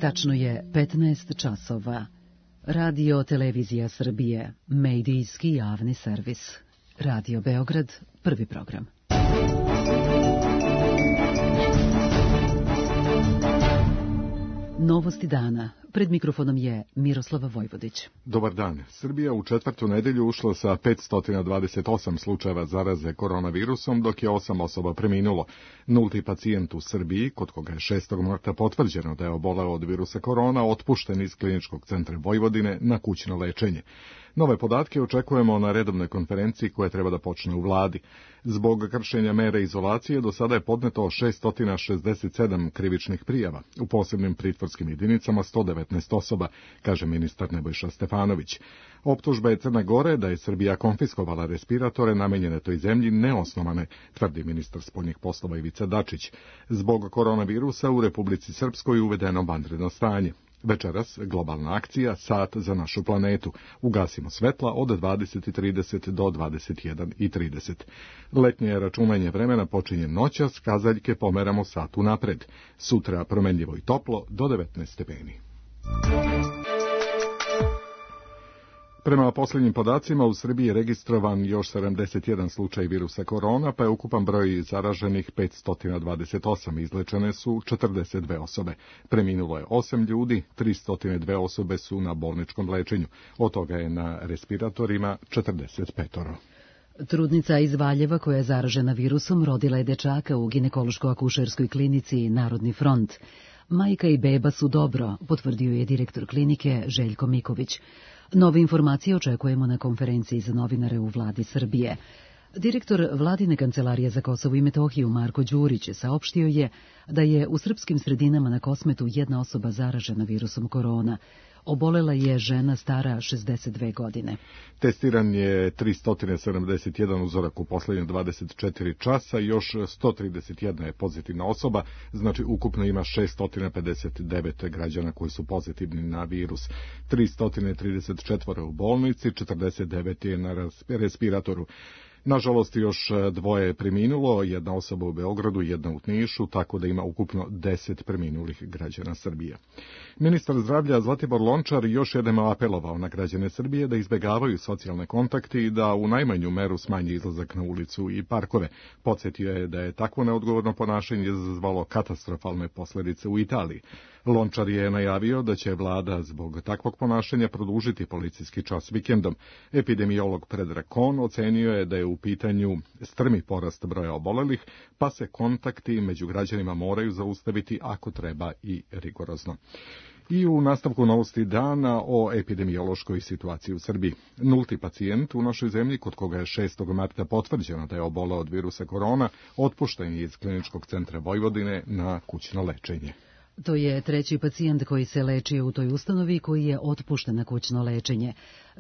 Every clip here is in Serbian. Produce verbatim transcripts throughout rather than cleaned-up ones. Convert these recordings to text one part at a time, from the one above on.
Tačno je petnaest časova. Radio Televizija Srbije, medijski javni servis. Radio Beograd, prvi program. Novosti dana. Pred mikrofonom je Miroslava Vojvodić. Dobar dan. Srbija u četvrtu nedelju ušla sa petsto dvadeset osam slučajeva zaraze koronavirusom, dok je osam osoba preminulo. Nulti pacijent u Srbiji, kod koga je šestog marta potvrđeno da je oboleo od virusa korona, otpušten iz Kliničkog centra Vojvodine na kućno lečenje. Nove podatke očekujemo na redovnoj konferenciji koja treba da počne u vladi. Zbog kršenja mere izolacije do sada je podneto šessto šezdeset sedam krivičnih prijava. U posebnim pritvorskim jedinicama sto devetnaest osoba, kaže ministar Nebojša Stefanović. Optužba je Crne Gore da je Srbija konfiskovala respiratore namenjene toj zemlji neosnovane, tvrdi ministar spoljnih poslova Ivica Dačić. Zbog koronavirusa u Republici Srpskoj uvedeno vanredno stanje. Večeras globalna akcija Sat za našu planetu. Ugasimo svetla od dvadeset i trideset do dvadeset jedan i trideset. Letnje računanje vremena počinje noćas, kazaljke pomeramo satu napred. Sutra promenljivo i toplo do devetnaest stepeni. Prema posljednjim podacima, u Srbiji je registrovan još sedamdeset jedan slučaj virusa korona, pa je ukupan broj zaraženih petsto dvadeset osam, izlečene su četrdeset dve osobe. Preminulo je osam ljudi, tristo dve osobe su na bolničkom lečenju, od toga je na respiratorima četrdeset petoro. Trudnica iz Valjeva koja je zaražena virusom rodila je dečaka u ginekološko-akušerskoj klinici Narodni front. Majka i beba su dobro, potvrdio je direktor klinike Željko Miković. Nove informacije očekujemo na konferenciji za novinare u vladi Srbije. Direktor vladine kancelarije za Kosovo i Metohiju Marko Đurić saopštio je da je u srpskim sredinama na Kosmetu jedna osoba zaražena virusom korona. Obolela je žena stara šezdeset dve godine. Testiran je tristo sedamdeset jedan uzorak u posljednje dvadeset četiri časa i još sto trideset jedna je pozitivna osoba, znači ukupno ima šeststo pedeset devet građana koji su pozitivni na virus. tristo trideset četiri u bolnici, četrdeset devet je na respiratoru. Nažalost, još dvoje je preminulo, jedna osoba u Beogradu i jedna u Nišu, tako da ima ukupno deset preminulih građana Srbije. Ministar zdravlja Zlatibor Lončar još jednom apelovao na građane Srbije da izbegavaju socijalne kontakte i da u najmanju meru smanje izlazak na ulicu i parkove. Podsjetio je da je takvo neodgovorno ponašanje izazvalo katastrofalne posljedice u Italiji. Lončar je najavio da će vlada zbog takvog ponašanja produžiti policijski čas vikendom. Epidemiolog Predrag Kon ocenio je da je u pitanju strmi porast broja obolelih, pa se kontakti među građanima moraju zaustaviti ako treba i rigorozno. I u nastavku novosti dana o epidemiološkoj situaciji u Srbiji. Nulti pacijent u našoj zemlji, kod koga je šestog marta potvrđeno da je oboleo od virusa korona, otpušten je iz Kliničkog centra Vojvodine na kućno lečenje. To je treći pacijent koji se lečio u toj ustanovi koji je otpušten na kućno lečenje.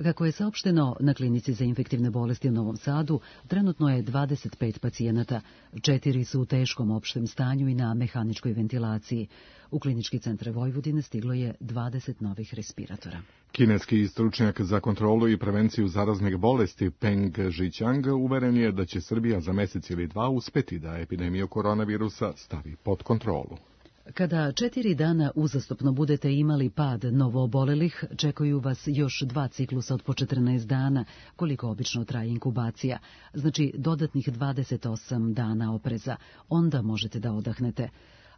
Kako je saopšteno na klinici za infektivne bolesti u Novom Sadu, trenutno je dvadeset pet pacijenata. Četiri su u teškom opštem stanju i na mehaničkoj ventilaciji. U Klinički centar Vojvodine stiglo je dvadeset novih respiratora. Kineski stručnjak za kontrolu i prevenciju zaraznih bolesti Peng Zhiqiang uveren je da će Srbija za mesec ili dva uspeti da epidemiju koronavirusa stavi pod kontrolu. Kada četiri dana uzastopno budete imali pad novoobolelih, čekaju vas još dva ciklusa od po četrnaest dana, koliko obično traje inkubacija, znači dodatnih dvadeset osam dana opreza. Onda možete da odahnete,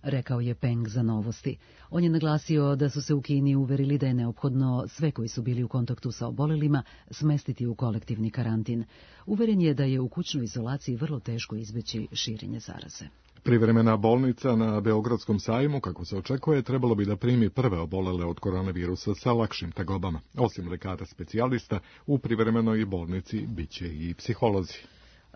rekao je Peng za Novosti. On je naglasio da su se u Kini uverili da je neophodno sve koji su bili u kontaktu sa obolelima smestiti u kolektivni karantin. Uveren je da je u kućnoj izolaciji vrlo teško izbeći širenje zaraze. Privremena bolnica na Beogradskom sajmu, kako se očekuje, trebalo bi da primi prve obolele od koronavirusa sa lakšim tegobama. Osim lekara specijalista, u privremenoj bolnici biće i psiholozi.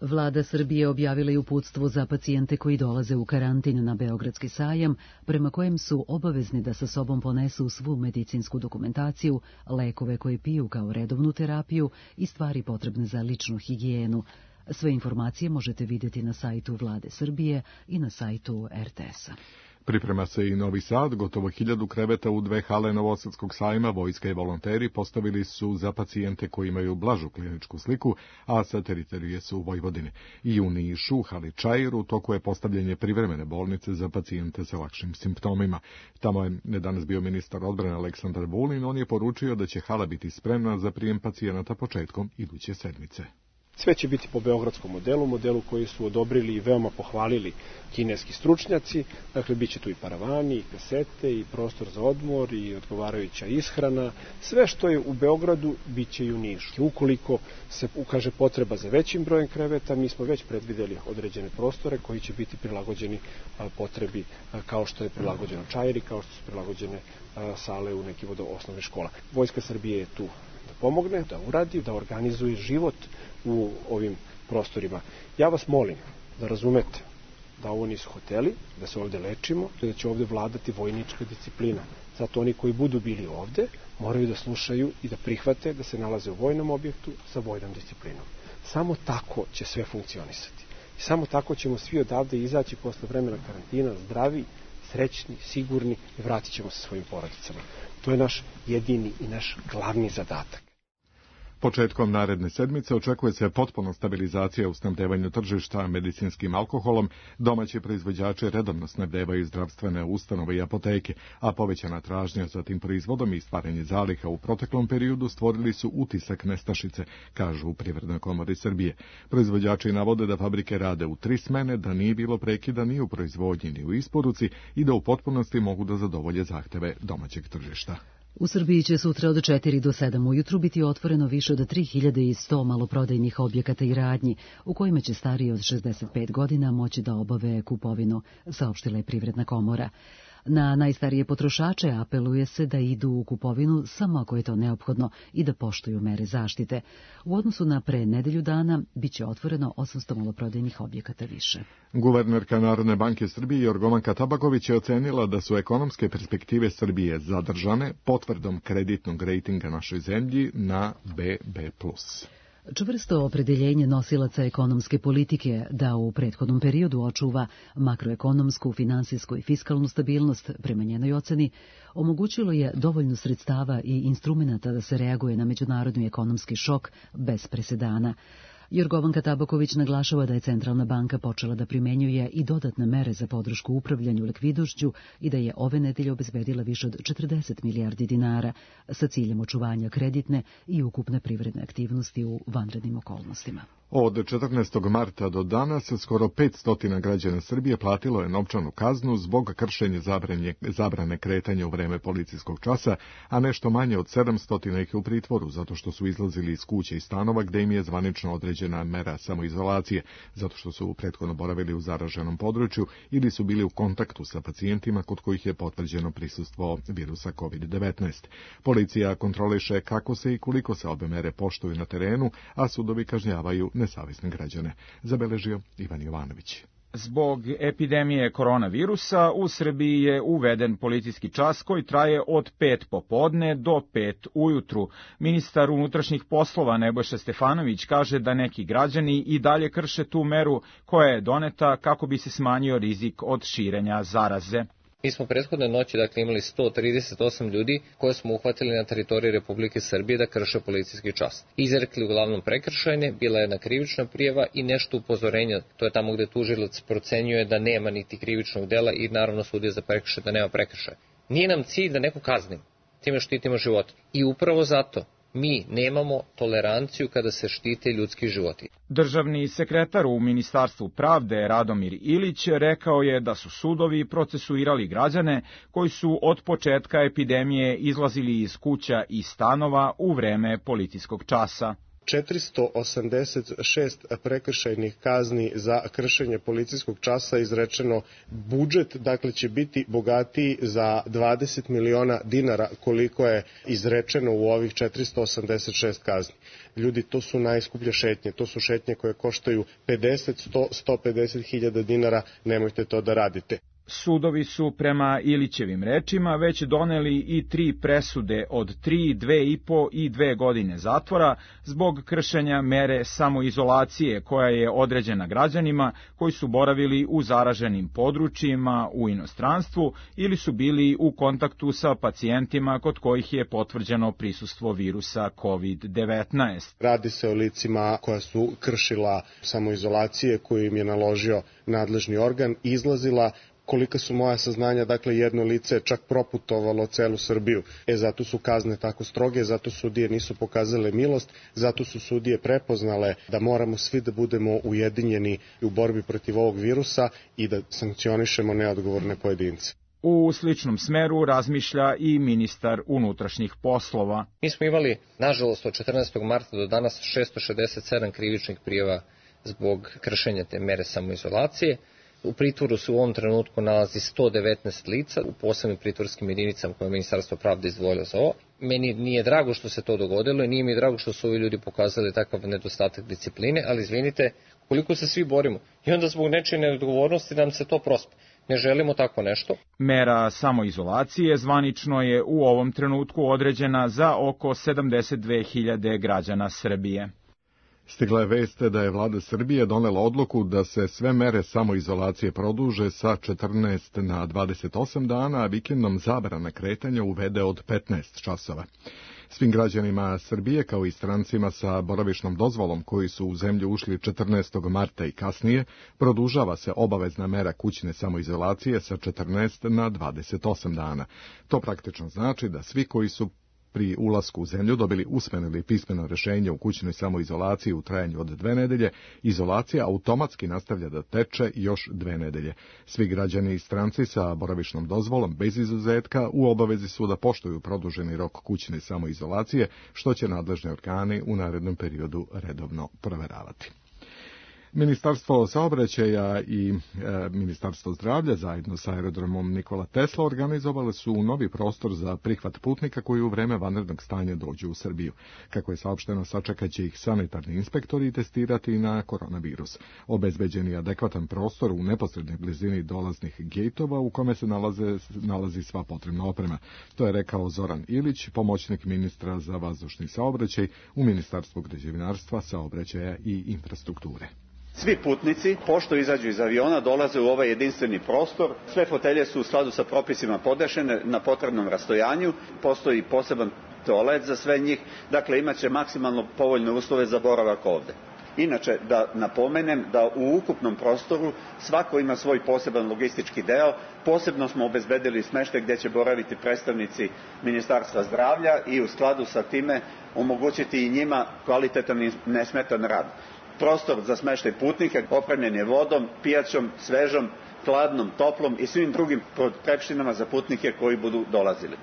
Vlada Srbije objavila je uputstvo za pacijente koji dolaze u karantin na Beogradski sajam, prema kojem su obavezni da sa sobom ponesu svu medicinsku dokumentaciju, lekove koje piju kao redovnu terapiju i stvari potrebne za ličnu higijenu. Sve informacije možete vidjeti na sajtu Vlade Srbije i na sajtu er te es a. Priprema se i Novi Sad, gotovo hiljadu kreveta u dve hale Novosadskog sajma, vojska i volonteri postavili su za pacijente koji imaju blažu kliničku sliku, a sa teritorije su u Vojvodini. I u Nišu, hali Čajiru, u toku je postavljanje privremene bolnice za pacijente sa lakšim simptomima. Tamo je danas bio ministar odbrane Aleksandar Vulin, on je poručio da će hala biti spremna za prijem pacijenata početkom iduće sedmice. Sve će biti po beogradskom modelu, modelu koji su odobrili i veoma pohvalili kineski stručnjaci. Dakle, bit će tu i paravani, i kasete, i prostor za odmor, i odgovarajuća ishrana. Sve što je u Beogradu, bit će i u Nišu. Ukoliko se ukaže potreba za većim brojem kreveta, mi smo već predvideli određene prostore koji će biti prilagođeni potrebi kao što je prilagođeno Čajiri, kao što su prilagođene sale u nekim od osnovnih škola. Vojska Srbije je tu da pomogne, da uradi, da organizuje život u ovim prostorima. Ja vas molim da razumete da ovo nisu hoteli, da se ovde lečimo, da će ovde vladati vojnička disciplina. Zato oni koji budu bili ovde moraju da slušaju i da prihvate da se nalaze u vojnom objektu sa vojnom disciplinom. Samo tako će sve funkcionisati. I samo tako ćemo svi odavde izaći posle vremena karantina zdravi, srećni, sigurni i vratit ćemo se svojim porodicama. To je naš jedini i naš glavni zadatak. Početkom naredne sedmice očekuje se potpuna stabilizacija u snabdevanju tržišta medicinskim alkoholom. Domaći proizvođači redovno snabdevaju zdravstvene ustanove i apoteke, a povećana tražnja za tim proizvodom i stvaranje zaliha u proteklom periodu stvorili su utisak nestašice, kažu u Privrednoj komori Srbije. Proizvođači navode da fabrike rade u tri smene, da nije bilo prekida ni u proizvodnji ni u isporuci i da u potpunosti mogu da zadovolje zahteve domaćeg tržišta. U Srbiji će sutra od četiri do sedam ujutru biti otvoreno više od tri hiljade sto maloprodajnih objekata i radnji, u kojima će stariji od šezdeset pet godina moći da obave kupovinu, saopštila je Privredna komora. Na najstarije potrošače apeluje se da idu u kupovinu samo ako je to neophodno i da poštuju mere zaštite. U odnosu na pre nedelju dana biće otvoreno osamsto maloprodajnih objekata više. Guvernerka Narodne banke Srbije Jorgovanka Tabaković je ocenila da su ekonomske perspektive Srbije zadržane potvrdom kreditnog rejtinga našoj zemlji na be be plus. Čvrsto opredeljenje nosilaca ekonomske politike da u prethodnom periodu očuva makroekonomsku, finansijsku i fiskalnu stabilnost, prema njenoj oceni, omogućilo je dovoljno sredstava i instrumenata da se reaguje na međunarodni ekonomski šok bez presedana. Jorgovanka Tabaković naglašava da je Centralna banka počela da primenjuje i dodatne mere za podršku upravljanju likvidnošću i da je ove nedelje obezbedila više od četrdeset milijardi dinara sa ciljem očuvanja kreditne i ukupne privredne aktivnosti u vanrednim okolnostima. Od četrnaestog marta do danas skoro petsto građana Srbije platilo je novčanu kaznu zbog kršenja zabrane, zabrane kretanja u vreme policijskog časa, a nešto manje od sedamsto ih je u pritvoru zato što su izlazili iz kuće i stanova gde im je zvanično određena mera samoizolacije, zato što su prethodno boravili u zaraženom području ili su bili u kontaktu sa pacijentima kod kojih je potvrđeno prisustvo virusa kovid devetnaest. Policija kontroliše kako se i koliko se obe mere poštuju na terenu, a sudovi kažnjavaju nesavesne građane, zabeležio Ivan Jovanović. Zbog epidemije koronavirusa u Srbiji je uveden policijski čas koji traje od pet popodne do pet ujutru. Ministar unutrašnjih poslova Nebojša Stefanović kaže da neki građani i dalje krše tu meru koja je doneta kako bi se smanjio rizik od širenja zaraze. Mi smo prethodne noći dakle, imali sto trideset osam ljudi koje smo uhvatili na teritoriji Republike Srbije da krše policijski čas. Izrekli uglavnom prekršajne, bila je jedna krivična prijava i nešto upozorenja. To je tamo gde tužilac procenjuje da nema niti krivičnog dela i naravno sudija za prekršaj da nema prekršaja. Nije nam cilj da neko kaznimo, time štitimo živote. I upravo zato mi nemamo toleranciju kada se štite ljudski životi. Državni sekretar u Ministarstvu pravde Radomir Ilić rekao je da su sudovi procesuirali građane koji su od početka epidemije izlazili iz kuća i stanova u vreme policijskog časa. četiristo osamdeset šest prekršajnih kazni za kršenje policijskog časa izrečeno. Budžet dakle će biti bogatiji za dvadeset miliona dinara koliko je izrečeno u ovih četiristo osamdeset šest kazni. Ljudi, to su najskuplje šetnje, to su šetnje koje koštaju pedeset, sto, sto pedeset hiljada dinara, nemojte to da radite. Sudovi su prema Ilićevim rečima već doneli i tri presude od tri, dve i po i dve godine zatvora zbog kršenja mere samoizolacije koja je određena građanima koji su boravili u zaraženim područjima u inostranstvu ili su bili u kontaktu sa pacijentima kod kojih je potvrđeno prisustvo virusa kovid devetnaest. Radi se o licima koja su kršila samoizolacije koju im je naložio nadležni organ, izlazila. Kolika su moja saznanja, dakle jedno lice je čak proputovalo celu Srbiju. E, zato su kazne tako stroge, zato sudije nisu pokazale milost, zato su sudije prepoznale da moramo svi da budemo ujedinjeni u borbi protiv ovog virusa i da sankcionišemo neodgovorne pojedince. U sličnom smeru razmišlja i ministar unutrašnjih poslova. Mi smo imali, nažalost, od četrnaestog marta do danas šesto šezdeset sedam krivičnih prijava zbog kršenja te mere samoizolacije. U pritvoru se u ovom trenutku nalazi sto devetnaest lica u posebnim pritvorskim jedinicama koje je Ministarstvo pravde izdvojilo za ovo. Meni nije drago što se to dogodilo i nije mi drago što su ovi ljudi pokazali takav nedostatak discipline, ali izvinite, koliko se svi borimo i onda zbog nečije neodgovornosti nam se to prospe. Ne želimo tako nešto. Mera samoizolacije zvanično je u ovom trenutku određena za oko sedamdeset dve hiljade građana Srbije. Stigla je vest da je vlada Srbije donela odluku da se sve mere samoizolacije produže sa četrnaest na dvadeset osam dana, a vikendom zabrana kretanja uvede od petnaest časova. Svim građanima Srbije, kao i strancima sa boravišnom dozvolom koji su u zemlju ušli četrnaestog marta i kasnije, produžava se obavezna mera kućne samoizolacije sa četrnaest na dvadeset osam dana. To praktično znači da svi koji su pri ulasku u zemlju dobili usmeno ili pismeno rešenje u kućnoj samoizolaciji u trajanju od dve nedelje, izolacija automatski nastavlja da teče još dve nedelje. Svi građani i stranci sa boravišnom dozvolom bez izuzetka u obavezi su da poštuju produženi rok kućne samoizolacije, što će nadležni organi u narednom periodu redovno proveravati. Ministarstvo saobraćaja i e, Ministarstvo zdravlja zajedno sa aerodromom Nikola Tesla organizovali su novi prostor za prihvat putnika koji u vreme vanrednog stanja dođu u Srbiju. Kako je saopšteno, sačekaće ih sanitarni inspektori i testirati na koronavirus. Obezbeđen je adekvatan prostor u neposrednoj blizini dolaznih gejtova u kome se nalaze, nalazi sva potrebna oprema. To je rekao Zoran Ilić, pomoćnik ministra za vazdušni saobraćaj u Ministarstvu građevinarstva, saobraćaja i infrastrukture. Svi putnici, pošto izađu iz aviona, dolaze u ovaj jedinstveni prostor. Sve fotelje su u skladu sa propisima podešene na potrebnom rastojanju. Postoji poseban toalet za sve njih. Dakle, imat će maksimalno povoljne uslove za boravak ovde. Inače, da napomenem da u ukupnom prostoru svako ima svoj poseban logistički deo. Posebno smo obezbedili smeštaj gdje će boraviti predstavnici Ministarstva zdravlja i u skladu sa time omogućiti i njima kvalitetan i nesmetan rad. Prostor za smeštaj putnika opremljen je vodom, pijaćom, svežom, hladnom, toplom i svim drugim potrepštinama za putnike koji budu dolazili.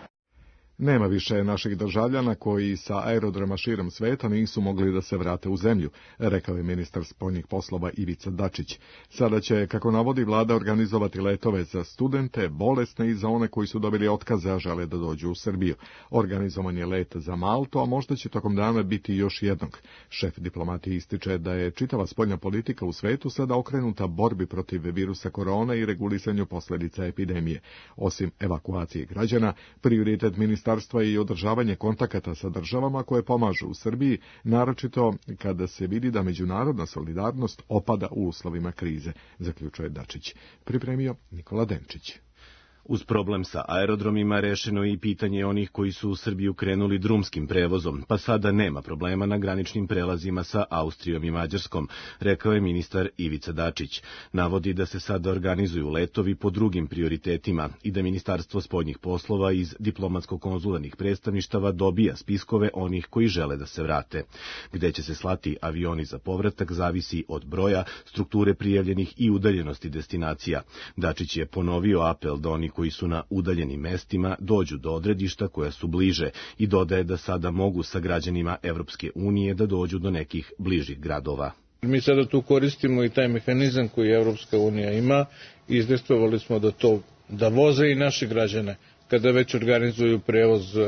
Nema više naših državljana koji sa aerodroma širom sveta nisu mogli da se vrate u zemlju, rekao je ministar spoljnih poslova Ivica Dačić. Sada će, kako navodi vlada, organizovati letove za studente, bolesne i za one koji su dobili otkaze, a žele da dođu u Srbiju. Organizovan je let za Maltu, a možda će tokom dana biti još jednog. Šef diplomatije ističe da je čitava spoljna politika u svetu sada okrenuta borbi protiv virusa korona i regulisanju posledica epidemije. Osim evakuacije građana, prioritet ministarstva i održavanje kontakata sa državama koje pomažu u Srbiji, naročito kada se vidi da međunarodna solidarnost opada u uslovima krize, zaključuje Dačić. Pripremio Nikola Denčić. Uz problem sa aerodromima rešeno je i pitanje onih koji su u Srbiju krenuli drumskim prevozom, pa sada nema problema na graničnim prelazima sa Austrijom i Mađarskom, rekao je ministar Ivica Dačić. Navodi da se sada organizuju letovi po drugim prioritetima i da Ministarstvo spoljnih poslova iz diplomatsko-konzularnih predstavništava dobija spiskove onih koji žele da se vrate. Gde će se slati avioni za povratak zavisi od broja, strukture prijavljenih i udaljenosti destinacija. Dačić je ponovio apel da oni koji su na udaljenim mestima dođu do odredišta koja su bliže i dodaje da sada mogu sa građanima Evropske unije da dođu do nekih bližih gradova. Mi sada tu koristimo i taj mehanizam koji Evropska unija ima i izdejstvovali smo da to da voze i naše građane kada već organizuju prevoz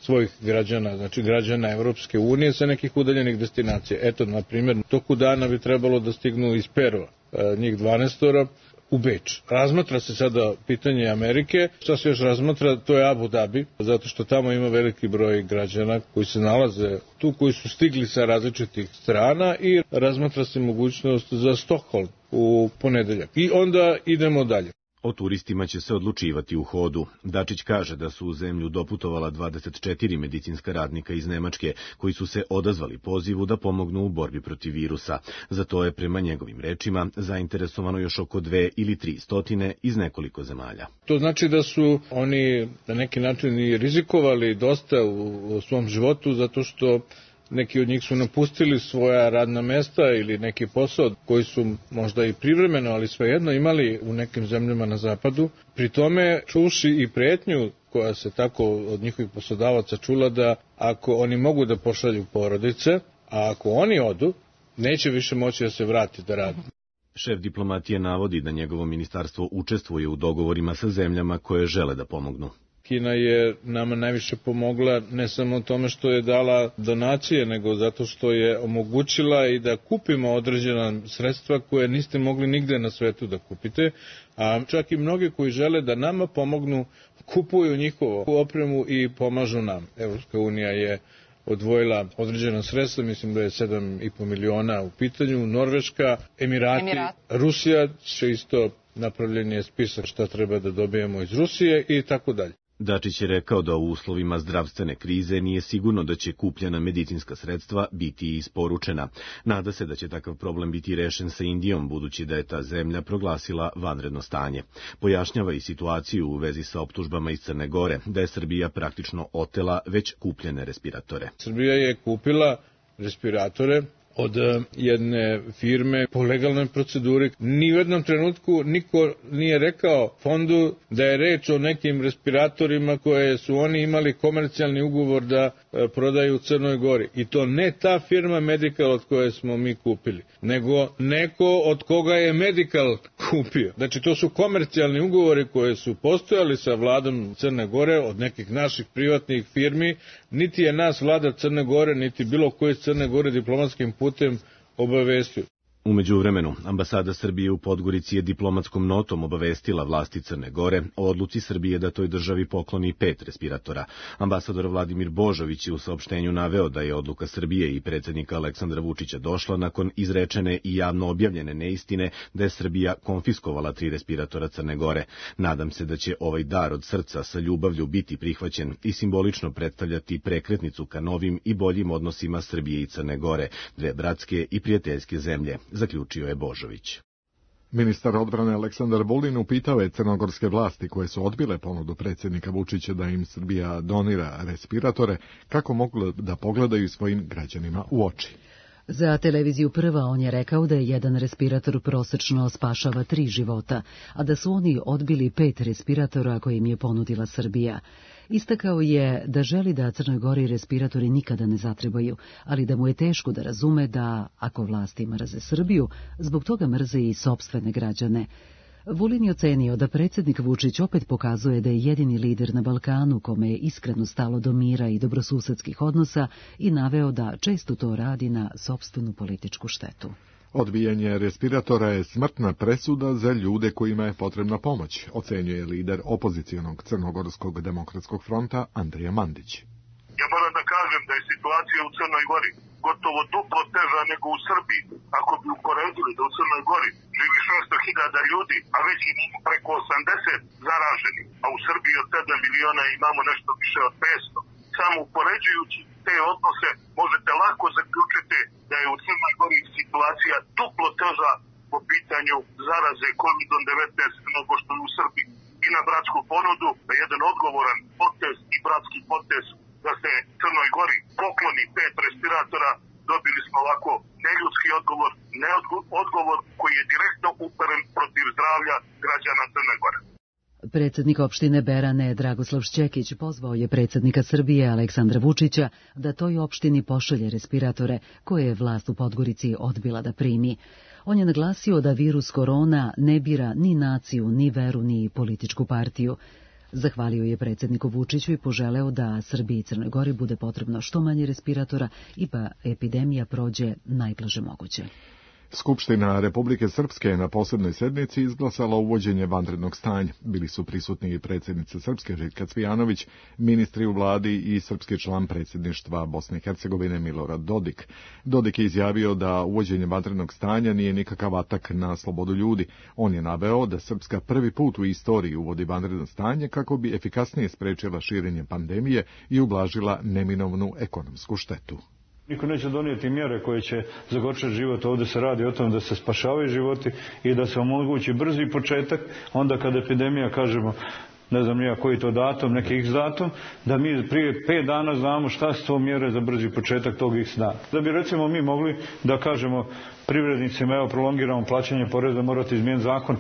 svojih građana, znači građana Evropske unije sa nekih udaljenih destinacija. Eto, na primjer, toku dana bi trebalo da stignu iz Perova, njih dvanaestora, u Beč. Razmatra se sada pitanje Amerike, šta se još razmatra, to je Abu Dhabi, zato što tamo ima veliki broj građana koji se nalaze tu, koji su stigli sa različitih strana i razmatra se mogućnost za Stokholm u ponedeljak. I onda idemo dalje. O turistima će se odlučivati u hodu. Dačić kaže da su u zemlju doputovala dvadeset četiri medicinska radnika iz Nemačke, koji su se odazvali pozivu da pomognu u borbi protiv virusa. Za to je, prema njegovim rečima, zainteresovano još oko dve ili tri stotine iz nekoliko zemalja. To znači da su oni na neki način i rizikovali dosta u, u svom životu, zato što neki od njih su napustili svoja radna mesta ili neki posao koji su možda i privremeno, ali svejedno imali u nekim zemljama na zapadu. Pri tome čuši i pretnju koja se tako od njihovih poslodavaca čula da ako oni mogu da pošalju porodice, a ako oni odu, neće više moći da se vrati da radi. Šef diplomatije navodi da njegovo ministarstvo učestvuje u dogovorima sa zemljama koje žele da pomognu. Kina je nama najviše pomogla ne samo tome što je dala donacije, nego zato što je omogućila i da kupimo određena sredstva koje niste mogli nigde na svetu da kupite, a čak i mnogi koji žele da nama pomognu kupuju njihovu opremu i pomažu nam. Evropska unija je odvojila određena sredstva, mislim da je sedam i po miliona u pitanju, Norveška, Emirati, Emirat. Rusija će isto, napravljen je spisak šta treba da dobijemo iz Rusije i tako dalje. Dačić je rekao da u uslovima zdravstvene krize nije sigurno da će kupljena medicinska sredstva biti isporučena. Nada se da će takav problem biti rešen sa Indijom, budući da je ta zemlja proglasila vanredno stanje. Pojašnjava i situaciju u vezi sa optužbama iz Crne Gore, da je Srbija praktično otela već kupljene respiratore. Srbija je kupila respiratore od jedne firme po legalnoj proceduri. Ni u jednom trenutku niko nije rekao fondu da je reč o nekim respiratorima koje su oni imali komercijalni ugovor da prodaju u Crnoj Gori. I to ne ta firma Medical od koje smo mi kupili, nego neko od koga je Medical kupio. Znači to su komercijalni ugovori koje su postojali sa vladom Crne Gore od nekih naših privatnih firmi. Niti je nas vlada Crne Gore, niti bilo koje iz Crne Gore diplomatskim putem obavestio. U međuvremenu, ambasada Srbije u Podgorici je diplomatskom notom obavestila vlasti Crne Gore o odluci Srbije da toj državi pokloni pet respiratora. Ambasador Vladimir Božović je u saopštenju naveo da je odluka Srbije i predsjednika Aleksandra Vučića došla nakon izrečene i javno objavljene neistine da je Srbija konfiskovala tri respiratora Crne Gore. Nadam se da će ovaj dar od srca sa ljubavlju biti prihvaćen i simbolično predstavljati prekretnicu ka novim i boljim odnosima Srbije i Crne Gore, dve bratske i prijateljske zemlje, zaključio je Božović. Ministar odbrane Aleksandar Vulin upitao je crnogorske vlasti koje su odbile ponudu predsjednika Vučića da im Srbija donira respiratore, kako mogu da pogledaju svojim građanima u oči. Za televiziju Prva on je rekao da je jedan respirator prosečno spašava tri života, a da su oni odbili pet respiratora koje im je ponudila Srbija. Istakao je da želi da Crnoj Gori respiratori nikada ne zatrebaju, ali da mu je teško da razume da, ako vlasti mrze Srbiju, zbog toga mrze i sopstvene građane. Vulin je ocenio da predsjednik Vučić opet pokazuje da je jedini lider na Balkanu kome je iskreno stalo do mira i dobrosusedskih odnosa i naveo da često to radi na sopstvenu političku štetu. Odbijanje respiratora je smrtna presuda za ljude kojima je potrebna pomoć, ocenjuje lider opozicijonog Crnogorskog demokratskog fronta Andrija Mandić. Ja moram da kažem da je situacija u Crnoj Gori gotovo duplo teža nego u Srbiji. Ako bi uporedili da u Crnoj Gori živi šesto hiljada ljudi, a već imamo preko osamdeset zaraženi, a u Srbiji od sedam miliona imamo nešto više od petsto. Samo upoređujući te odnose možete lako zaključiti da je u Crnoj Gori situacija duplo teža po pitanju zaraze kovidom devetnaest nego što je u Srbiji. I na bratsku ponudu, da jedan odgovoran potez i bratski potez da se Crnoj Gori pokloni pet respiratora, dobili smo ovako neljudski odgovor, ne odgovor koji je direktno uperen protiv zdravlja građana Crne Gore. Predsjednik opštine Berane Dragoslav Šćekić pozvao je predsjednika Srbije Aleksandra Vučića da toj opštini pošalje respiratore koje je vlast u Podgorici odbila da primi. On je naglasio da virus korona ne bira ni naciju, ni veru, ni političku partiju. Zahvalio je predsjedniku Vučiću i poželeo da Srbiji i Crnoj Gori bude potrebno što manje respiratora i pa epidemija prođe najblaže moguće. Skupština Republike Srpske na posebnoj sednici izglasala uvođenje vanrednog stanja. Bili su prisutni i predsjednica Srpske Željka Cvijanović, ministri u vladi i srpski član predsjedništva Bosne i Hercegovine Milorad Dodik. Dodik je izjavio da uvođenje vanrednog stanja nije nikakav atak na slobodu ljudi. On je naveo da Srpska prvi put u istoriji uvodi vanredno stanje kako bi efikasnije sprečila širenje pandemije i ublažila neminovnu ekonomsku štetu. Niko neće donijeti mjere koje će zagorčati život. Ovdje se radi o tom da se spašavaju životi i da se omogući brzi početak. Onda kad epidemija, kažemo, ne znam nija koji to datum, neki x datum, da mi prije pet dana znamo šta su to mjere za brzi početak tog x dana. Da bi recimo mi mogli da kažemo privrednicima, evo prolongiramo plaćanje poreza, morate izmijeniti zakon,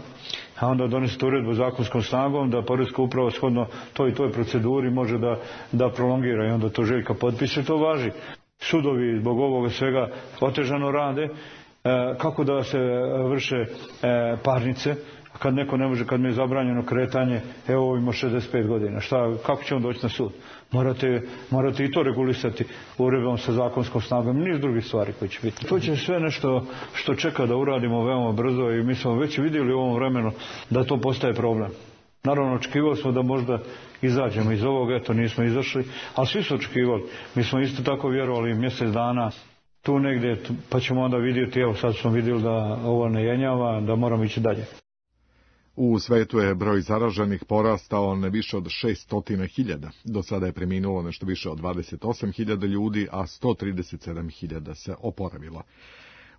a onda donesete uredbu zakonskom snagom da poreska uprava shodno toj i toj proceduri može da, da prolongira i onda to Željka potpiše, to važi. Sudovi zbog ovoga svega otežano rade, e, kako da se vrše e, parnice, kad neko ne može, kad mi je zabranjeno kretanje, evo ima šezdeset pet godina, šta, kako će on doći na sud? Morate, morate i to regulisati uredbom sa zakonskom snagom, niz drugih stvari koje će biti. To će sve nešto što čeka da uradimo veoma brzo i mi smo već vidjeli u ovom vremenu da to postaje problem. Naravno, očekivali smo da možda izađemo iz ovoga, eto nismo izašli, ali svi su očekivali. Mi smo isto tako vjerovali mjesec dana tu negdje, pa ćemo onda vidjeti, evo sad smo vidjeli da ovo ne jenjava, da moramo ići dalje. U svetu je broj zaraženih porastao na više od šesto hiljada. Do sada je preminulo nešto više od dvadeset osam hiljada ljudi, a sto trideset sedam hiljada se oporavilo.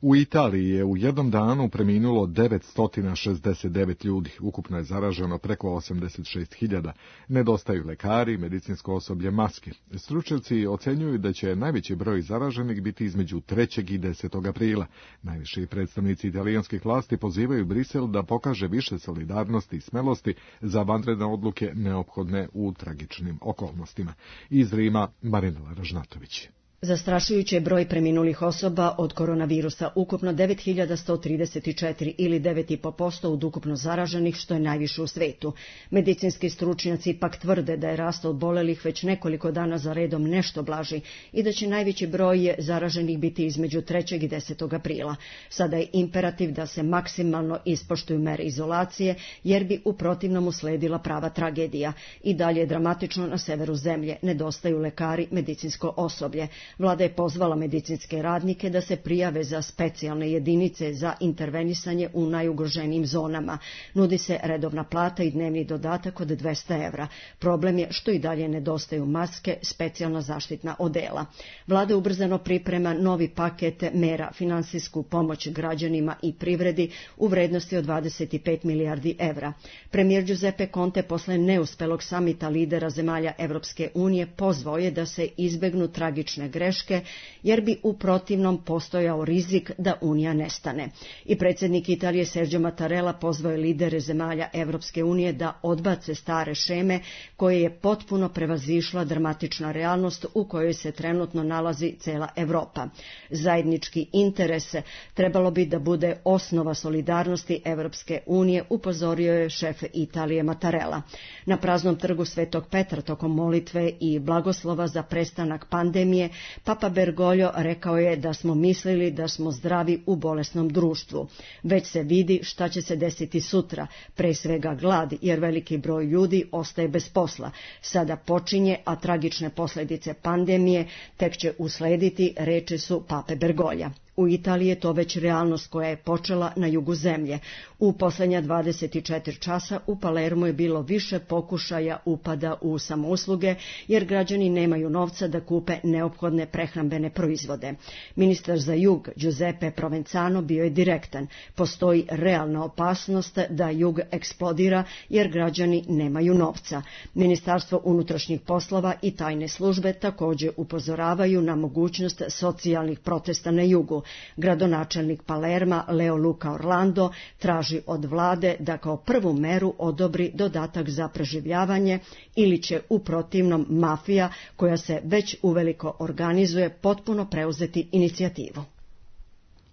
U Italiji je u jednom danu preminulo devetsto šezdeset devet ljudi, ukupno je zaraženo preko osamdeset šest hiljada. Nedostaju lekari, medicinsko osoblje, maske. Stručnjaci ocenjuju da će najveći broj zaraženih biti između trećeg i desetog aprila. Najviši predstavnici italijanskih vlasti pozivaju Brisel da pokaže više solidarnosti i smelosti za vanredne odluke neophodne u tragičnim okolnostima. Iz Rima, Marinela Ražnatović. Zastrašujući broj preminulih osoba od koronavirusa, ukupno devet hiljada sto trideset četiri ili devet zarez pet posto od ukupno zaraženih, što je najviše u svetu. Medicinski stručnjaci pak tvrde da je rast obolelih već nekoliko dana za redom nešto blaži i da će najveći broj zaraženih biti između trećeg i desetog aprila. Sada je imperativ da se maksimalno ispoštuju mere izolacije, jer bi u protivnom usledila prava tragedija. I dalje je dramatično na severu zemlje, nedostaju lekari, medicinsko osoblje. Vlada je pozvala medicinske radnike da se prijave za specijalne jedinice za intervenisanje u najugroženijim zonama. Nudi se redovna plata i dnevni dodatak od dvesta evra. Problem je što i dalje nedostaju maske, specijalna zaštitna odela. Vlada ubrzano priprema novi paket mera, finansijsku pomoć građanima i privredi u vrednosti od dvadeset pet milijardi evra. Premijer Giuseppe Conte posle neuspelog samita lidera zemalja Evropske unije pozvao je da se izbegnu tragične greške, jer bi u protivnom postojao rizik da Unija nestane. I predsjednik Italije Sergio Mattarella pozvao je lidere zemalja Evropske unije da odbace stare šeme koje je potpuno prevazišla dramatična realnost u kojoj se trenutno nalazi cela Evropa. Zajednički interes trebalo bi da bude osnova solidarnosti Evropske unije, upozorio je šef Italije Mattarella. Na praznom trgu Svetog Petra tokom molitve i blagoslova za prestanak pandemije, Papa Bergoglio rekao je da smo mislili da smo zdravi u bolesnom društvu. Već se vidi šta će se desiti sutra, pre svega glad, jer veliki broj ljudi ostaje bez posla. Sada počinje, a tragične posljedice pandemije tek će uslediti, reči su Pape Bergoglija. U Italiji je to već realnost koja je počela na jugu zemlje. U posljednja dvadeset četiri časa u Palermu je bilo više pokušaja upada u samousluge, jer građani nemaju novca da kupe neophodne prehrambene proizvode. Ministar za jug Giuseppe Provenzano bio je direktan. Postoji realna opasnost da jug eksplodira, jer građani nemaju novca. Ministarstvo unutrašnjih poslova i tajne službe također upozoravaju na mogućnost socijalnih protesta na jugu. Gradonačelnik Palerma Leo Luca Orlando traži od vlade da kao prvu meru odobri dodatak za preživljavanje ili će u protivnom mafija, koja se već uveliko organizuje, potpuno preuzeti inicijativu.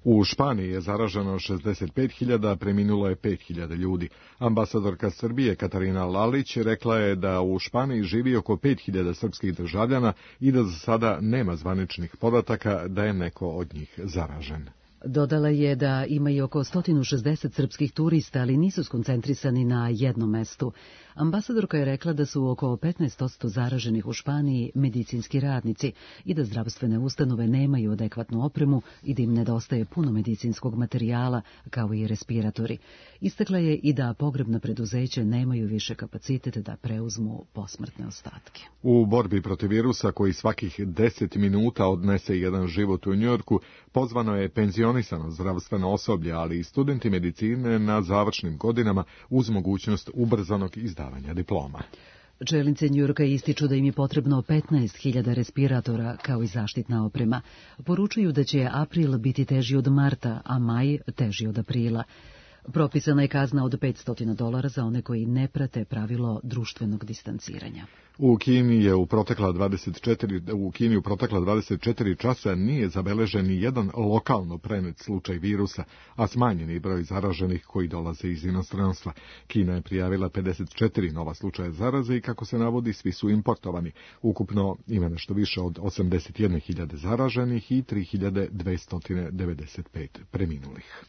U Španiji je zaraženo šezdeset pet hiljada, preminulo je pet hiljada ljudi. Ambasadorka Srbije Katarina Lalić rekla je da u Španiji živi oko pet hiljada srpskih državljana i da za sada nema zvaničnih podataka da je neko od njih zaražen. Dodala je da ima i oko sto šezdeset srpskih turista, ali nisu skoncentrisani na jednom mestu. Ambasadorka je rekla da su oko petnaest posto zaraženih u Španiji medicinski radnici i da zdravstvene ustanove nemaju adekvatnu opremu i da im nedostaje puno medicinskog materijala, kao i respiratori. Istakla je i da pogrebna preduzeća nemaju više kapacitet da preuzmu posmrtne ostatke. U borbi protiv virusa, koji svakih deset minuta odnese jedan život u Njujorku, pozvano je penzionisano zdravstveno osoblje, ali i studenti medicine na završnim godinama uz mogućnost ubrzanog izdavanja diploma. Čelnice Njujorka ističu da im je potrebno petnaest hiljada respiratora kao i zaštitna oprema. Poručuju da će april biti teži od marta, a maj teži od aprila. Propisana je kazna od petsto dolara za one koji ne prate pravilo društvenog distanciranja. U Kini je u protekla dvadeset četiri u Kini u protekla dvadeset četiri časa nije zabeležen ni jedan lokalno prenet slučaj virusa, a smanjeni broj zaraženih koji dolaze iz inostranstva. Kina je prijavila pedeset četiri nova slučaja zaraze i, kako se navodi, svi su importovani. Ukupno ima nešto više od osamdeset jedne hiljade zaraženih i tri hiljade dvesta devedeset pet preminulih.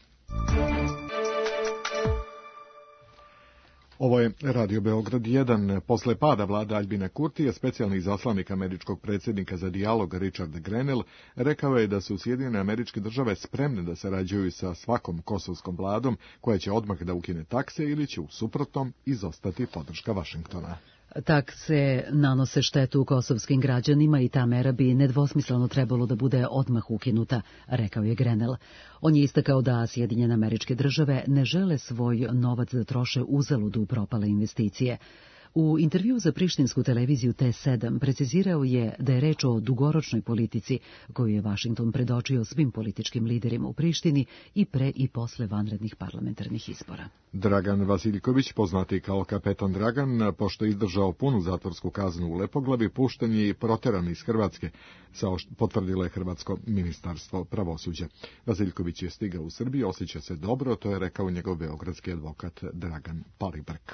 Ovo je Radio Beograd jedan. Posle pada vlade Aljbina Kurtija, specijalni izaslanik američkog predsjednika za dijalog Richard Grenell rekao je da su Sjedinjene Američke Države spremne da sarađuju sa svakom kosovskom vladom koja će odmah da ukine takse ili će u suprotnom izostati podrška Vašingtona. Takse nanose štetu kosovskim građanima i ta mera bi nedvosmisleno trebalo da bude odmah ukinuta, rekao je Grenell. On je istakao da Sjedinjene Američke Države ne žele svoj novac da troše uzalud u propale investicije. U intervju za prištinsku televiziju T sedam precizirao je da je reč o dugoročnoj politici koju je Vašington predočio svim političkim liderima u Prištini i pre i posle vanrednih parlamentarnih izbora. Dragan Vasiljković, poznati kao kapetan Dragan, pošto je izdržao punu zatvorsku kaznu u Lepoglavi, pušten je i proteran iz Hrvatske, potvrdilo je Hrvatsko ministarstvo pravosuđa. Vasiljković je stigao u Srbiju, osjeća se dobro, to je rekao njegov beogradski advokat Dragan Palibrk.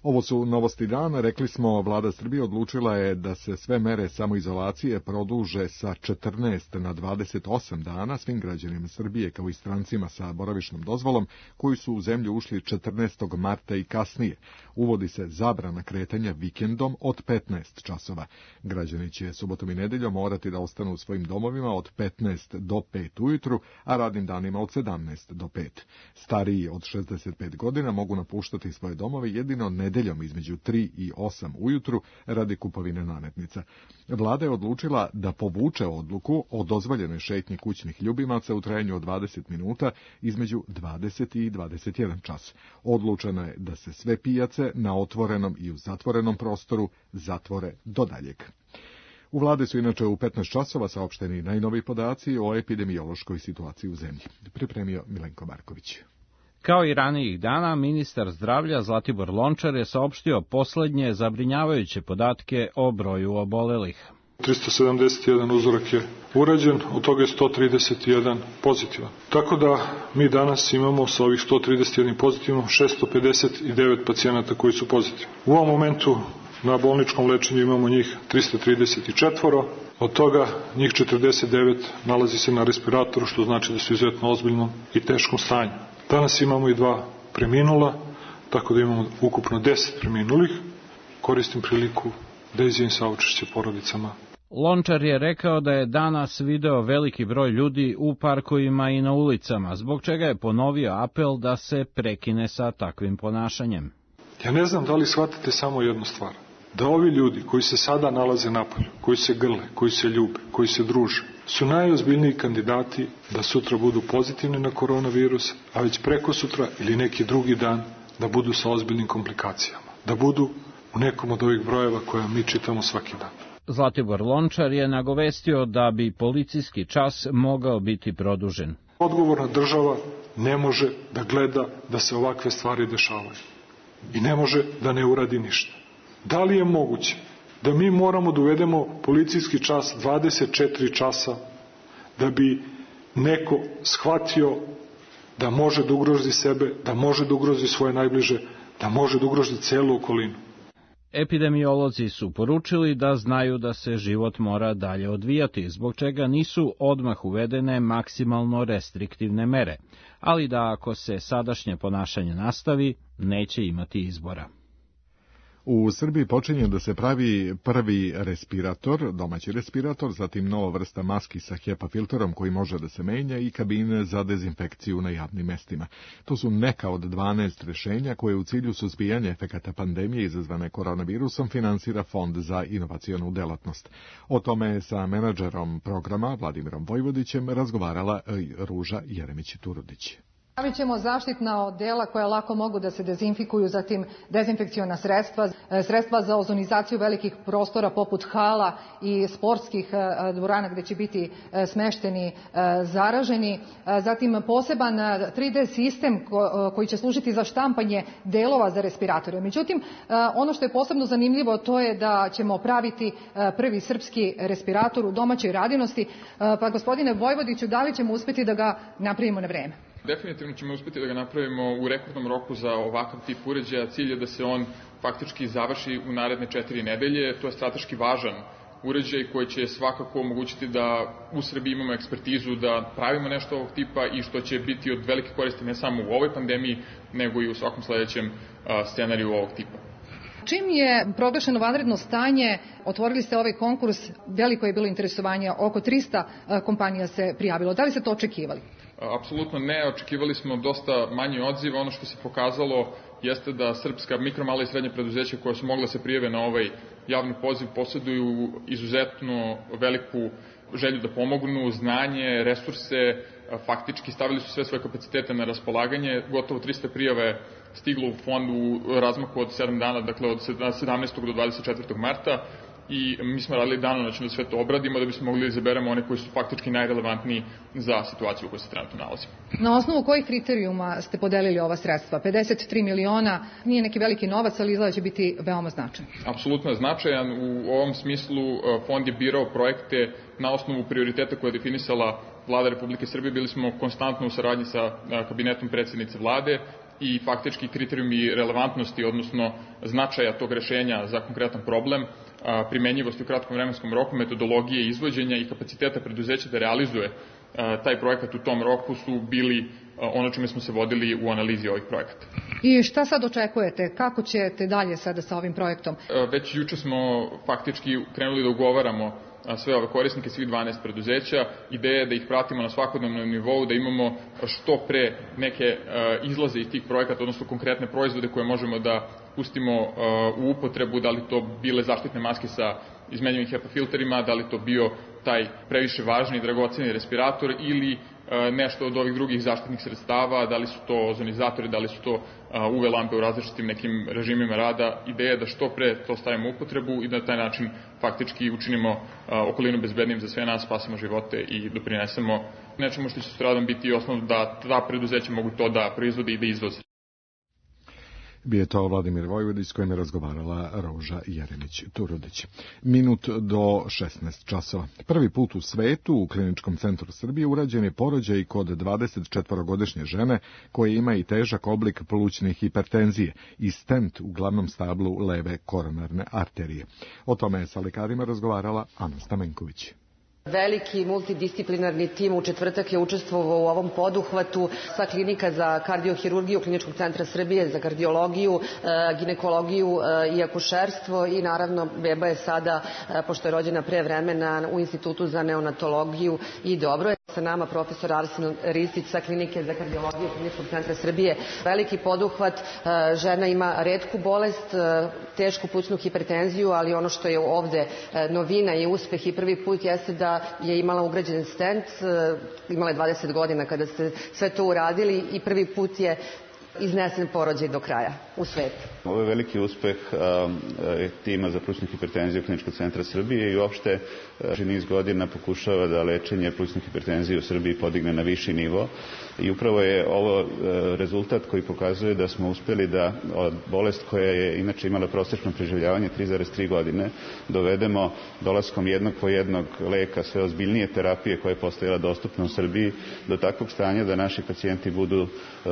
Ovo su novosti dana. Rekli smo, vlada Srbije odlučila je da se sve mere samoizolacije produže sa četrnaest na dvadeset osam dana svim građanima Srbije, kao i strancima sa boravišnom dozvolom koji su u zemlju ušli četrnaestog marta i kasnije. Uvodi se zabrana kretanja vikendom od petnaest časova. Građani će subotom i nedeljom morati da ostanu u svojim domovima od petnaest do pet ujutru, a radnim danima od sedamnaest do pet. Stariji od šezdeset pet godina mogu napuštati svoje domove jedino nedeljom između tri i osam ujutru radi kupovine nametnica. Vlada je odlučila da povuče odluku o dozvoljenoj šetnji kućnih ljubimaca u trajanju od dvadeset minuta između dvadeset i dvadeset jedan čas. Odlučeno je da se sve pijace na otvorenom i u zatvorenom prostoru zatvore do daljeg. U vladi su inače u petnaest časova saopšteni najnoviji podaci o epidemiološkoj situaciji u zemlji. Pripremio Milenko Marković. Kao i ranijih dana, ministar zdravlja Zlatibor Lončar je saopštio poslednje zabrinjavajuće podatke o broju obolelih. trista sedamdeset jedan uzorak je urađen, od toga je sto trideset jedan pozitivan. Tako da mi danas imamo sa ovih sto trideset jedan pozitivno šesto pedeset devet pacijenata koji su pozitivni. U ovom momentu na bolničkom lečenju imamo njih trista trideset četiri, od toga njih četrdeset devet nalazi se na respiratoru, što znači da su izuzetno ozbiljnom i teškom stanju. Danas imamo i dva preminula, tako da imamo ukupno deset preminulih. Koristim priliku da izjavim saučešće porodicama. Lončar je rekao da je danas video veliki broj ljudi u parkovima i na ulicama, zbog čega je ponovio apel da se prekine sa takvim ponašanjem. Ja ne znam da li shvatate samo jednu stvar. Da ovi ljudi koji se sada nalaze napolju, koji se grle, koji se ljube, koji se druže, su najozbiljniji kandidati da sutra budu pozitivni na koronavirus, a već preko sutra ili neki drugi dan da budu sa ozbiljnim komplikacijama. Da budu u nekom od ovih brojeva koje mi čitamo svaki dan. Zlatibor Lončar je nagovestio da bi policijski čas mogao biti produžen. Odgovorna država ne može da gleda da se ovakve stvari dešavaju i ne može da ne uradi ništa. Da li je moguće da mi moramo da uvedemo policijski čas dvadeset četiri časa da bi neko shvatio da može da ugrozi sebe, da može da ugrozi svoje najbliže, da može da ugrozi celu okolinu? Epidemiolozi su poručili da znaju da se život mora dalje odvijati, zbog čega nisu odmah uvedene maksimalno restriktivne mere, ali da ako se sadašnje ponašanje nastavi, neće imati izbora. U Srbiji počinje da se pravi prvi respirator, domaći respirator, zatim nova vrsta maski sa HEPA filterom koji može da se menja i kabine za dezinfekciju na javnim mestima. To su neka od dvanaest rešenja koje u cilju suzbijanja efekata pandemije izazvane koronavirusom finansira Fond za inovacionu delatnost. O tome je sa menadžerom programa Vladimirom Vojvodićem razgovarala Ruža Jeremić-Turudić. Stavit ćemo zaštitna odela koja lako mogu da se dezinfikuju, zatim dezinfekciona sredstva, sredstva za ozonizaciju velikih prostora poput hala i sportskih dvorana gde će biti smešteni zaraženi, zatim poseban tri D sistem koji će služiti za štampanje delova za respiratore. Međutim, ono što je posebno zanimljivo to je da ćemo praviti prvi srpski respirator u domaćoj radinosti, pa gospodine Vojvodiću, da li ćemo uspeti da ga napravimo na vreme? Definitivno ćemo uspeti da ga napravimo u rekordnom roku za ovakav tip uređaja. Cilj je da se on faktički završi u naredne četiri nedelje. To je strateški važan uređaj koji će svakako omogućiti da u Srbiji imamo ekspertizu da pravimo nešto ovog tipa i što će biti od velike koristi ne samo u ovoj pandemiji, nego i u svakom sledećem scenariju ovog tipa. Čim je proglašeno vanredno stanje, otvorili ste ovaj konkurs, veliko je bilo interesovanje, oko trista kompanija se prijavilo. Da li ste to očekivali? Apsolutno ne, očekivali smo dosta manji odziv. Ono što se pokazalo jeste da srpska mikro, mala i srednja preduzeća koja su mogla se prijave na ovaj javni poziv posjeduju izuzetno veliku želju da pomognu, znanje, resurse, faktički stavili su sve svoje kapacitete na raspolaganje. Gotovo trista prijava je stiglo u fond u razmaku od sedam dana, dakle od sedamnaestog do dvadeset četvrtog marta. I mi smo radili danonoćno da sve to obradimo da bismo mogli da izaberemo one koji su faktički najrelevantniji za situaciju u kojoj se trenutno nalazimo. Na osnovu kojih kriterijuma ste podelili ova sredstva? pedeset tri miliona nije neki veliki novac, ali izgleda će biti veoma značajan. Apsolutno je značajan. U ovom smislu fond je birao projekte na osnovu prioriteta koje je definisala Vlada Republike Srbije. Bili smo konstantno u saradnji sa kabinetom predsjednice Vlade i faktički kriterijumi relevantnosti, odnosno značaja tog rešenja za konkretan problem, primenjivosti u kratkom vremenskom roku, metodologije izvođenja i kapaciteta preduzeća da realizuje taj projekat u tom roku su bili ono čime smo se vodili u analizi ovih projekata. I šta sad očekujete? Kako ćete dalje sada sa ovim projektom? Već juče smo faktički krenuli da ugovaramo sve ove korisnike, svih dvanaest preduzeća. Ideja je da ih pratimo na svakodnevnom nivou, da imamo što pre neke izlaze iz tih projekata, odnosno konkretne proizvode koje možemo da pustimo u upotrebu, da li to bile zaštitne maske sa izmenjivim HEPA filterima, da li to bio taj previše važni i dragoceni respirator ili nešto od ovih drugih zaštitnih sredstava, da li su to ozonizatori, da li su to U V lampe u različitim nekim režimima rada. Ideja je da što pre to stavimo u upotrebu i da na taj način faktički učinimo okolinu bezbednim za sve nas, spasimo živote i doprinesemo nečemu što će sutradan biti osnov da ta preduzeća mogu to da proizvode i da izvoze. Bio to Vladimir Vojvodić s kojim je razgovarala Ruža Jeremić-Turudić. Minut do šesnaest časova. Prvi put u svetu u Kliničkom centru Srbije urađen je porođaj kod dvadesetčetvorogodišnje žene koja ima i težak oblik plućne hipertenzije i stent u glavnom stablu leve koronarne arterije. O tome je sa lekarima razgovarala Ana Stamenković. Veliki multidisciplinarni tim u četvrtak je učestvovao u ovom poduhvatu sa klinika za kardiohirurgiju Kliničkog centra Srbije, za kardiologiju, ginekologiju i akušerstvo i naravno beba je sada, pošto je rođena pre vremena, u Institutu za neonatologiju i dobro je. Sa nama profesor Arsen Ristić sa klinike za kardiologiju Kliničkog centra Srbije. Veliki poduhvat, žena ima retku bolest, tešku plućnu hipertenziju, ali ono što je ovde novina i uspeh i prvi put jeste da je imala ugrađen stent, imala je dvadeset godina kada ste sve to uradili i prvi put je iznesen porođaj do kraja u svetu. Ovo je veliki uspeh tima za plućnu hipertenziju Kliničkog centra Srbije i uopšte niz godina pokušava da lečenje plućne hipertenzije u Srbiji podigne na viši nivo i upravo je ovo rezultat koji pokazuje da smo uspeli da od bolest koja je inače imala prosečno preživljavanje tri zarez tri godine dovedemo dolaskom jednog po jednog leka sve ozbiljnije terapije koja je postojala dostupna u Srbiji do takvog stanja da naši pacijenti budu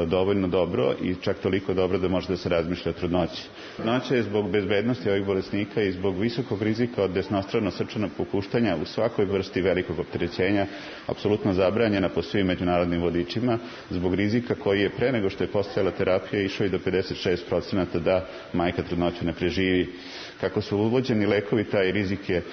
dovoljno dobro dobro i čak toliko dobro da može da se razmišlja o trudnoći. Trudnoća je zbog bezbednosti ovih bolesnika i zbog visokog rizika od desnostrano srčanog popuštanja u svakoj vrsti velikog opterećenja apsolutno zabranjena po svim međunarodnim vodičima, zbog rizika koji je pre nego što je postojala terapija išao i do pedeset šest procenata da majka trudnoću ne preživi. Kako su uvođeni lekovi, taj rizik je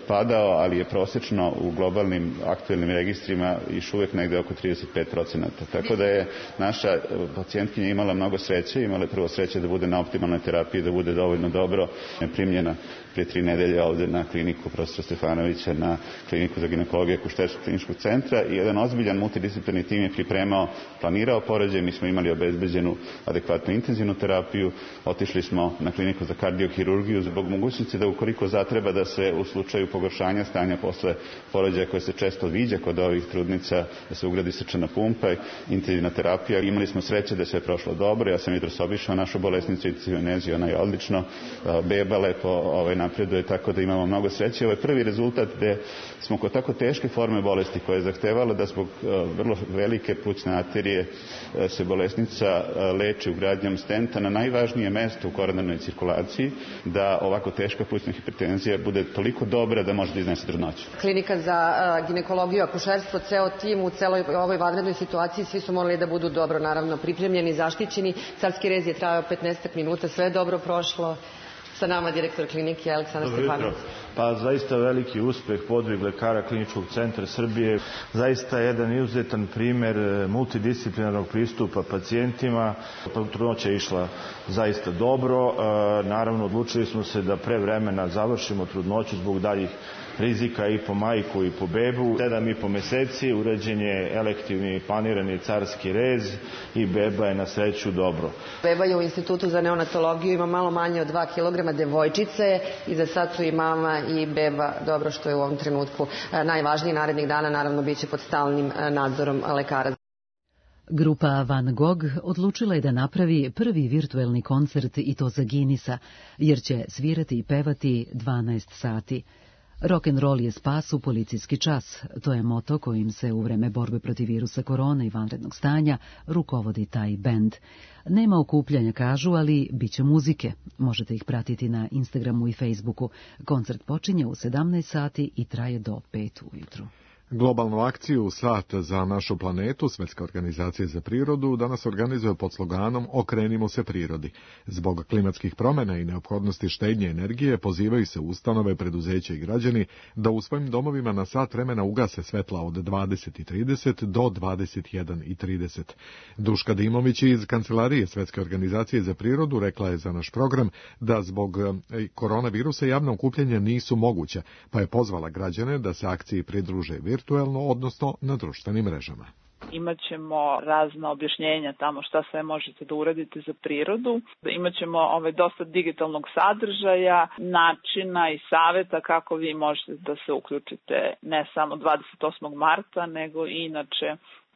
padao, ali je prosečno u globalnim aktuelnim registrima išao uvek negde oko trideset pet procenata. Tako da je naša pacijentkinja imala mnogo sreće, imala je prvo sreće da bude na optimalnoj terapiji, da bude dovoljno dobro primljena prije tri nedelje ovde na kliniku profesora Stefanovića, na kliniku za ginekologiju Kušterskog kliničkog centra i jedan ozbiljan multidisciplinarni tim je pripremao, planirao porođaj, mi smo imali obezbeđenu adekvatnu intenzivnu terapiju, otišli smo na kliniku za kardiohirurgiju zbog mogućnosti da ukoliko zatreba da se u slučaju pogoršanja stanja posle porođaja koje se često viđa kod ovih trudnica, da se ugradi srčana pumpa i intenzivna terapija. Imali smo sreće da je sve prošlo dobro, ja sam jutros obišao našu bolesnicu i cijoneziju, ona je odlično, beba lepo ovaj, napreduje, tako da imamo mnogo sreće. Ovo je prvi rezultat gde smo kod tako teške forme bolesti koja je zahtevala da zbog vrlo velike plućne arterije se bolesnica leči ugradnjom stenta na najvažnije mesto u koronarnoj cirkulaciji, da ovako teška plućna hipertenzija bude toliko dobra da može da iznese trudnoću. Klinika za ginekologiju, akušerstvo, ceo tim u celoj ovoj vanrednoj situaciji, svi su morali da budu dobro, naravno, pripremljeni, zaštićeni. Carski rez je trajao petnaest minuta, sve je dobro prošlo. Sa nama direktor klinike Aleksandar Stefanović. Pa zaista veliki uspeh, podvig lekara Kliničkog centra Srbije, zaista jedan izuzetan primer multidisciplinarnog pristupa pacijentima. Trudnoća je išla zaista dobro, naravno odlučili smo se da pre vremena završimo trudnoću zbog daljih rizika i po majku i po bebu. Sedam i po meseci, urađen je elektivni planirani carski rez i beba je na sreću dobro. Beba je u Institutu za neonatologiju, ima malo manje od dva kilograma, devojčice i za sad su i mama i beba, dobro što je u ovom trenutku najvažniji. Narednih dana naravno bit će pod stalnim nadzorom lekara. Grupa Van Gogh odlučila je da napravi prvi virtuelni koncert i to za Guinnessa, jer će svirati i pevati dvanaest sati. Rock'n'roll je spas u policijski čas. To je moto kojim se u vreme borbe protiv virusa korona i vanrednog stanja rukovodi taj bend. Nema okupljanja, kažu, ali bit će muzike. Možete ih pratiti na Instagramu i Facebooku. Koncert počinje u sedamnaest sati i traje do pet ujutru. Globalnu akciju Sat za našu planetu, Svetska organizacija za prirodu, danas organizuje pod sloganom Okrenimo se prirodi. Zbog klimatskih promjena i neophodnosti štednje energije pozivaju se ustanove, preduzeća i građani da u svojim domovima na sat vremena ugase svetla od dvadeset i trideset do dvadeset jedan i trideset. Duška Dimović iz Kancelarije Svetske organizacije za prirodu rekla je za naš program da zbog koronavirusa javna okupljanja nisu moguća, pa je pozvala građane da se akciji pridruže virtuelno, odnosno na društvenim mrežama. Imaćemo razna objašnjenja tamo šta sve možete da uradite za prirodu. Imaćemo ovaj dosta digitalnog sadržaja, načina i saveta kako vi možete da se uključite ne samo dvadeset osmog marta, nego i inače.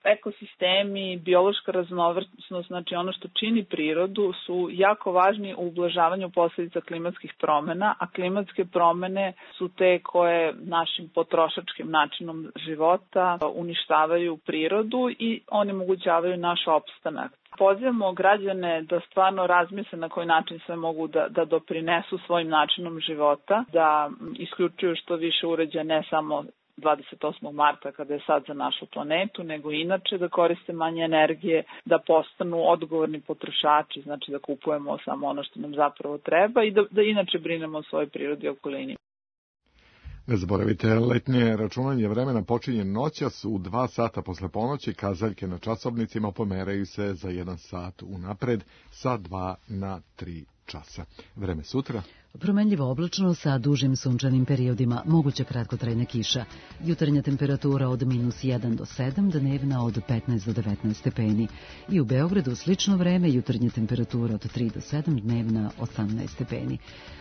Ekosistemi, biološka raznovrsnost, znači ono što čini prirodu, su jako važni u ublažavanju posljedica klimatskih promjena, a klimatske promjene su te koje našim potrošačkim načinom života uništavaju prirodu i onemogućavaju naš opstanak. Pozivamo građane da stvarno razmisle na koji način sve mogu da, da doprinesu svojim načinom života, da isključuju što više uređaja, ne samo dvadeset osmog marta kada je sad za našu planetu, nego inače da koriste manje energije, da postanu odgovorni potrošači, znači da kupujemo samo ono što nam zapravo treba i da, da inače brinemo o svojoj prirodi i okolini. Ne zaboravite, letnje računanje vremena počinje noćas u dva sata posle ponoći, kazaljke na časovnicima pomeraju se za jedan sat unapred sa dva na tri časa. Vreme sutra. Promenljivo oblačno sa dužim sunčanim periodima, moguća kratkotrajna kiša. Jutarnja temperatura od minus jedan do sedam, dnevna od petnaest do devetnaest stepeni. I u Beogradu slično vreme, jutarnja temperatura od tri do sedam, dnevna osamnaest stepeni.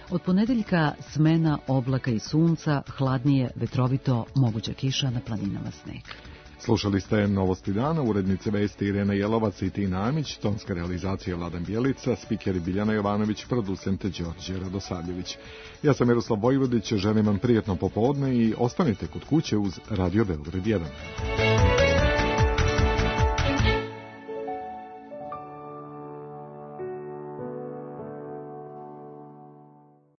Od ponedeljka smena oblaka i sunca, hladnije, vetrovito, moguća kiša, na planinama sneg. Slušali ste Novosti dana, urednice vesti Irena Jelovac i Tina Amić, tonska realizacija Vladan Bjelica, spikeri Biljana Jovanović, producente Đorđe Radosavljević. Ja sam Miroslav Vojvodić, želim vam prijatno popodne i ostanite kod kuće uz Radio Beograd jedan.